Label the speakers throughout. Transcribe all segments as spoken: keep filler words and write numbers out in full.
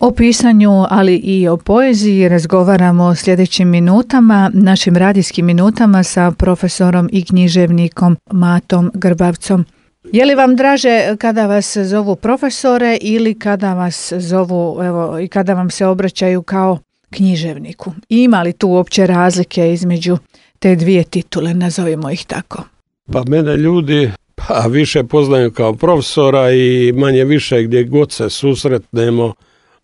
Speaker 1: O pisanju, ali i o poeziji razgovaramo sljedećim minutama, našim radijskim minutama sa profesorom i književnikom Matom Grbavcom. Je li vam draže kada vas zovu profesore ili kada vas zovu, evo, i kada vam se obraćaju kao književniku? Ima li tu uopće razlike između te dvije titule, nazovimo ih tako?
Speaker 2: Pa mene ljudi pa više poznaju kao profesora i manje više gdje god se susretnemo,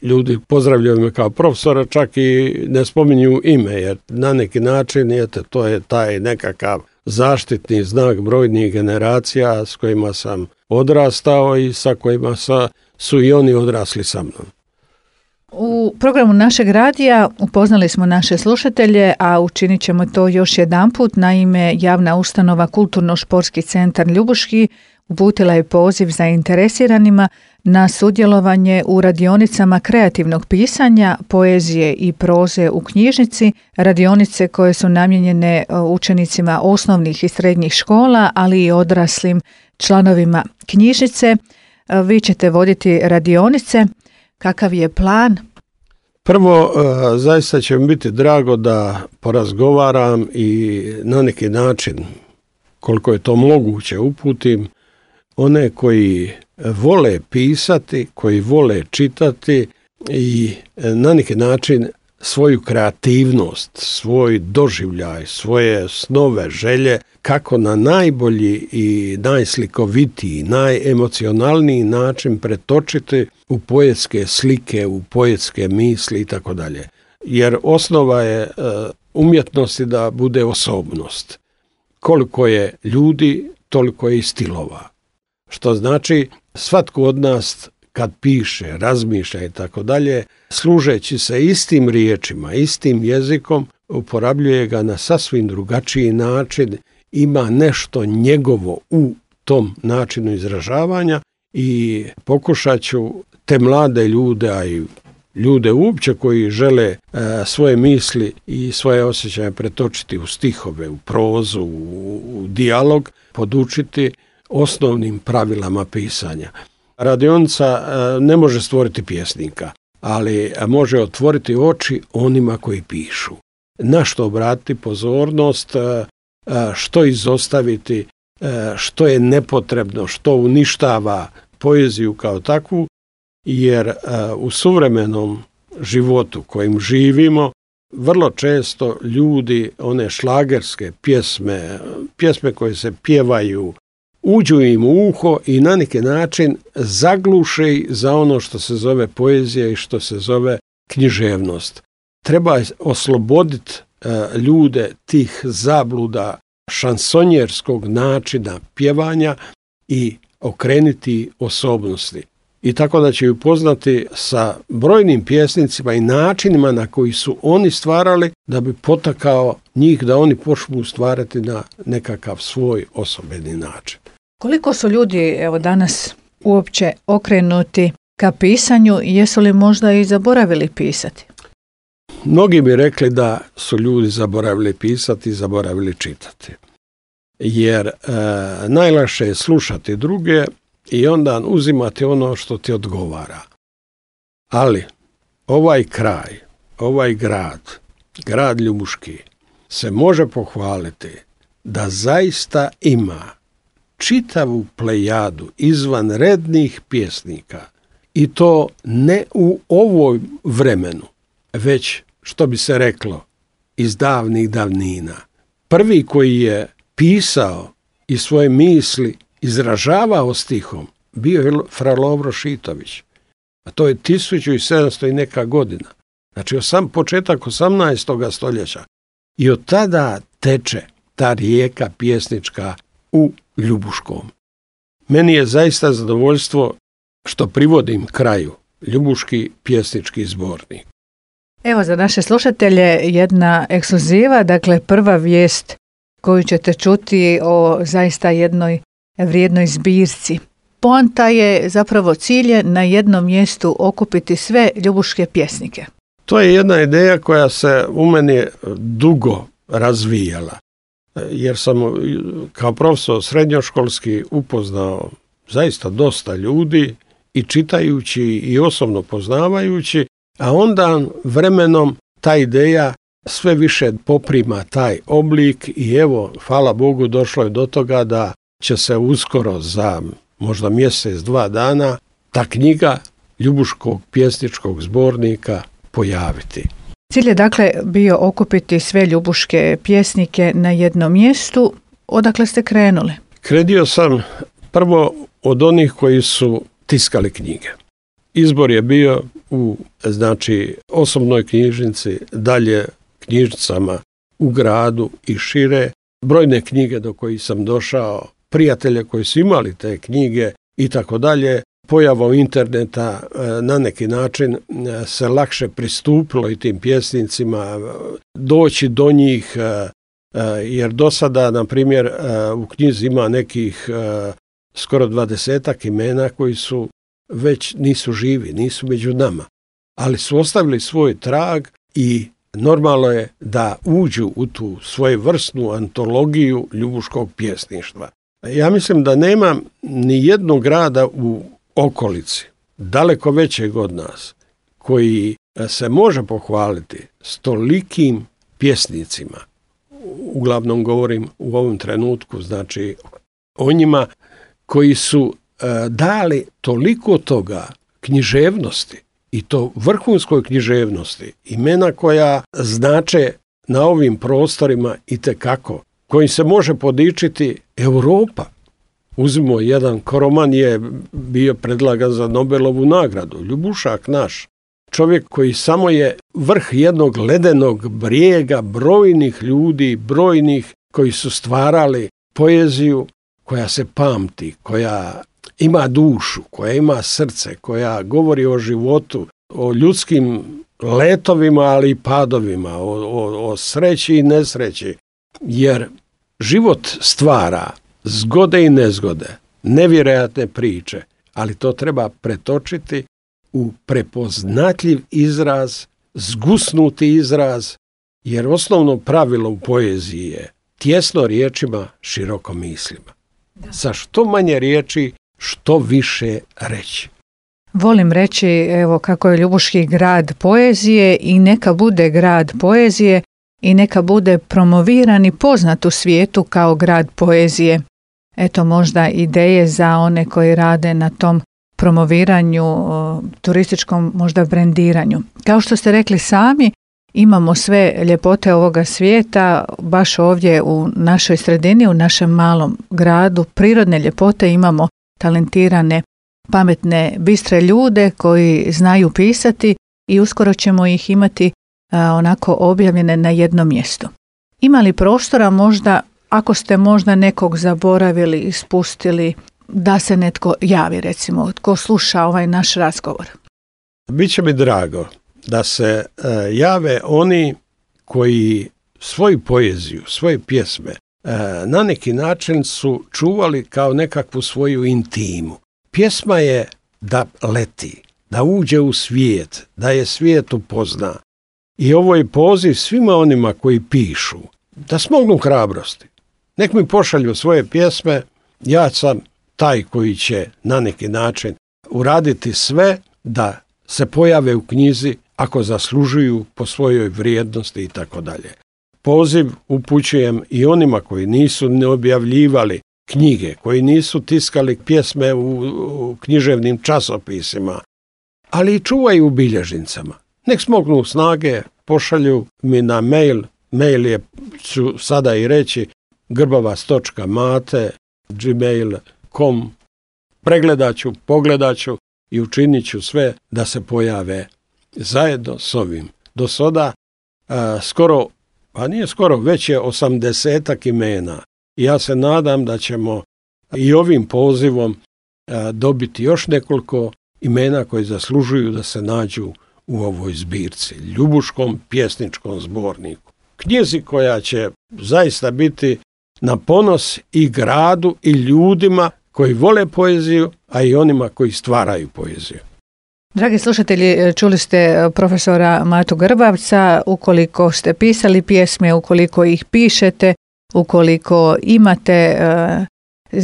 Speaker 2: ljudi pozdravljaju me kao profesora, čak i ne spominju ime, jer na neki način jete, to je taj nekakav zaštitni znak brojnih generacija s kojima sam odrastao i sa kojima sa, su i oni odrasli sa mnom.
Speaker 1: U programu našeg radija upoznali smo naše slušatelje, a učinit ćemo to još jedanput. Naime, javna ustanova Kulturno-športski centar Ljubuški uputila je poziv zainteresiranima na sudjelovanje u radionicama kreativnog pisanja, poezije i proze u knjižnici, radionice koje su namijenjene učenicima osnovnih i srednjih škola, ali i odraslim članovima knjižnice. Vi ćete voditi radionice. Kakav je plan?
Speaker 2: Prvo, zaista će mi biti drago da porazgovaram i na neki način, koliko je to moguće, uputim one koji vole pisati, koji vole čitati i na neki način svoju kreativnost, svoj doživljaj, svoje snove, želje, kako na najbolji i najslikovitiji, najemocionalniji način pretočiti u poetske slike, u poetske misli i tako dalje. Jer osnova je umjetnosti da bude osobnost. Koliko je ljudi, toliko je i stilova. Što znači, svatko od nas kad piše, razmišlja i tako dalje, služeći se istim riječima, istim jezikom, uporabljuje ga na sasvim drugačiji način, ima nešto njegovo u tom načinu izražavanja i pokušat ću te mlade ljude, a i ljude uopće koji žele e, svoje misli i svoje osjećaje pretočiti u stihove, u prozu, u, u dijalog, podučiti osnovnim pravilama pisanja. Radionica ne može stvoriti pjesnika, ali može otvoriti oči onima koji pišu. Na što obratiti pozornost, što izostaviti, što je nepotrebno, što uništava poeziju kao takvu, jer u suvremenom životu kojim živimo, vrlo često ljudi, one šlagerske pjesme, pjesme koje se pjevaju, uđu im u uho i na neki način zagluše za ono što se zove poezija i što se zove književnost. Treba osloboditi e, ljude tih zabluda šansonjerskog načina pjevanja i okrenuti osobnosti. I tako da će upoznati sa brojnim pjesnicima i načinima na koji su oni stvarali da bi potakao njih da oni počnu stvarati na nekakav svoj osobeni način.
Speaker 1: Koliko su ljudi evo danas uopće okrenuti ka pisanju i jesu li možda i zaboravili pisati?
Speaker 2: Mnogi bi rekli da su ljudi zaboravili pisati i zaboravili čitati. Jer e, najlakše je slušati druge i onda uzimati ono što ti odgovara. Ali ovaj kraj, ovaj grad, grad Ljubuški, se može pohvaliti da zaista ima čitavu plejadu izvanrednih pjesnika i to ne u ovoj vremenu, već, što bi se reklo, iz davnih davnina. Prvi koji je pisao i svoje misli izražavao stihom bio je fra Lovro Šitović. A to je tisuću sedamsto i neka godina. Znači osam, početak osamnaestog stoljeća. I od tada teče ta rijeka pjesnička u Ljubuškom. Meni je zaista zadovoljstvo što privodim kraju Ljubuški pjesnički zbornik.
Speaker 1: Evo za naše slušatelje jedna ekskluziva, dakle prva vijest koju ćete čuti o zaista jednoj vrijednoj zbirci. Poanta je, zapravo cilj je na jednom mjestu okupiti sve ljubuške pjesnike.
Speaker 2: To je jedna ideja koja se u meni dugo razvijala. Jer sam kao profesor srednjoškolski upoznao zaista dosta ljudi i čitajući i osobno poznavajući, a onda vremenom ta ideja sve više poprima taj oblik i evo, hvala Bogu, došlo je do toga da će se uskoro za možda mjesec, dva dana ta knjiga Ljubuškog pjesničkog zbornika pojaviti.
Speaker 1: Cilj je dakle bio okupiti sve ljubuške pjesnike na jednom mjestu. Odakle ste krenuli?
Speaker 2: Krenuo sam prvo od onih koji su tiskali knjige. Izbor je bio u znači osobnoj knjižnici, dalje knjižnicama u gradu i šire. Brojne knjige do kojih sam došao, prijatelje koji su imali te knjige i tako dalje. Pojavom interneta na neki način se lakše pristupilo i tim pjesnicima, doći do njih, jer do sada, na primjer, u knjizi ima nekih skoro dvadesetak imena koji su već nisu živi, nisu među nama, ali su ostavili svoj trag i normalno je da uđu u tu svojevrsnu antologiju ljubuškog pjesništva. Ja mislim da nema ni jednog grada u okolici, daleko većeg od nas, koji se može pohvaliti s tolikim pjesnicima. Uglavnom govorim u ovom trenutku, znači o njima koji su e, dali toliko toga književnosti i to vrhunskoj književnosti, imena koja znače na ovim prostorima itekako, kojim se može podičiti Europa. Uzmimo jedan, Koroman je bio predlagan za Nobelovu nagradu, Ljubušak naš, čovjek koji samo je vrh jednog ledenog brijega brojnih ljudi, brojnih koji su stvarali poeziju koja se pamti, koja ima dušu, koja ima srce, koja govori o životu, o ljudskim letovima, ali i padovima, o, o, o sreći i nesreći, jer život stvara zgode i nezgode, nevjerojatne priče, ali to treba pretočiti u prepoznatljiv izraz, zgusnuti izraz, jer osnovno pravilo u poeziji je tjesno riječima, široko mislima. Sa što manje riječi, što više reći.
Speaker 1: Volim reći, evo, kako je Ljubuški grad poezije i neka bude grad poezije i neka bude promoviran i poznat u svijetu kao grad poezije. Eto, možda ideje za one koji rade na tom promoviranju, turističkom možda brendiranju. Kao što ste rekli sami, imamo sve ljepote ovoga svijeta, baš ovdje u našoj sredini, u našem malom gradu, prirodne ljepote, imamo talentirane, pametne, bistre ljude koji znaju pisati i uskoro ćemo ih imati a, onako objavljene na jednom mjestu. Ima li prostora možda, ako ste možda nekog zaboravili, ispustili, da se netko javi, recimo, tko sluša ovaj naš razgovor?
Speaker 2: Biće mi drago da se e, jave oni koji svoju poeziju, svoje pjesme e, na neki način su čuvali kao nekakvu svoju intimu. Pjesma je da leti, da uđe u svijet, da je svijet upozna. I ovo je poziv svima onima koji pišu, da smognu hrabrosti. Nek mi pošalju svoje pjesme, ja sam taj koji će na neki način uraditi sve da se pojave u knjizi ako zaslužuju po svojoj vrijednosti i tako dalje. Poziv upućujem i onima koji nisu ne objavljivali knjige, koji nisu tiskali pjesme u, u književnim časopisima, ali i čuvaju u bilježnicama. Nek smognu snage, pošalju mi na mail, mail je, ću sada i reći, grbavac točka mate gmail točka com, pregledat ću, pogledat ću i učinit ću sve da se pojave zajedno s ovim. Do sada a, skoro, pa nije skoro, već je osamdesetak imena. I ja se nadam da ćemo i ovim pozivom a, dobiti još nekoliko imena koji zaslužuju da se nađu u ovoj zbirci, Ljubuškom pjesničkom zborniku. Knjizi koja će zaista biti na ponos i gradu i ljudima koji vole poeziju, a i onima koji stvaraju poeziju.
Speaker 1: Dragi slušatelji, čuli ste profesora Matu Grbavca. Ukoliko ste pisali pjesme, ukoliko ih pišete, ukoliko imate uh,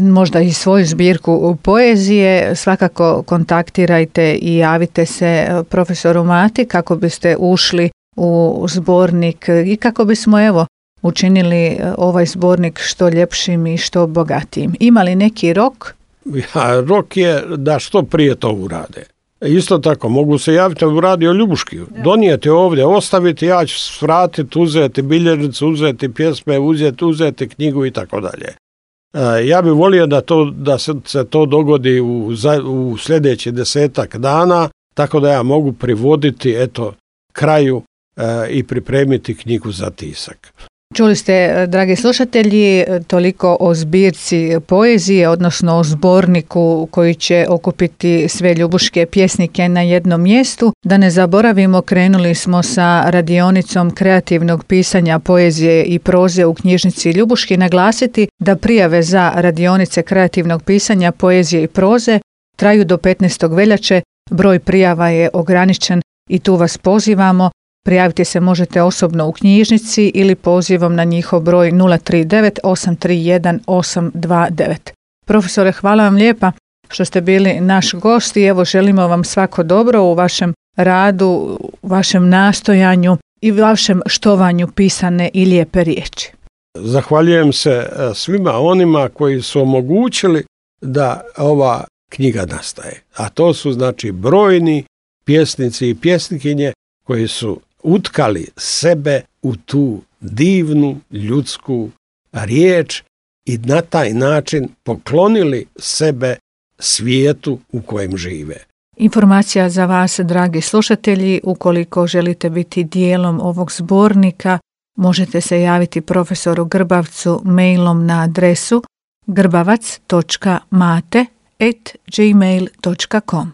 Speaker 1: možda i svoju zbirku poezije, svakako kontaktirajte i javite se profesoru Mati kako biste ušli u zbornik i kako bismo evo učinili ovaj zbornik što ljepšim i što bogatijim. Ima li neki rok?
Speaker 2: Ja, rok je da što prije to urade. Isto tako, mogu se javiti u radio Ljubuški, donijeti ovdje, ostaviti, ja ću svratiti, uzeti bilježnicu, uzeti pjesme, uzeti, uzeti knjigu i tako dalje. Ja bih volio da, to, da se, se to dogodi u, u sljedeći desetak dana, tako da ja mogu privoditi eto, kraju e, i pripremiti knjigu za tisak.
Speaker 1: Čuli ste, dragi slušatelji, toliko o zbirci poezije, odnosno o zborniku koji će okupiti sve ljubuške pjesnike na jednom mjestu. Da ne zaboravimo, krenuli smo sa radionicom kreativnog pisanja poezije i proze u knjižnici Ljubuški. Naglasiti da prijave za radionice kreativnog pisanja poezije i proze traju do petnaestog veljače. Broj prijava je ograničen i tu vas pozivamo. Prijaviti se možete osobno u knjižnici ili pozivom na njihov broj nula tri devet osam tri jedan osam dva devet. Profesore, hvala vam lijepa što ste bili naš gost i evo želimo vam svako dobro u vašem radu, u vašem nastojanju i vašem štovanju pisane i lijepe riječi.
Speaker 2: Zahvaljujem se svima onima koji su omogućili da ova knjiga nastaje. A to su znači brojni pjesnici i pjesnikinje koji su utkali sebe u tu divnu ljudsku riječ i na taj način poklonili sebe svijetu u kojem žive.
Speaker 1: Informacija za vas, dragi slušatelji, ukoliko želite biti dijelom ovog zbornika, možete se javiti profesoru Grbavcu mailom na adresu grbavac točka mate at gmail točka com.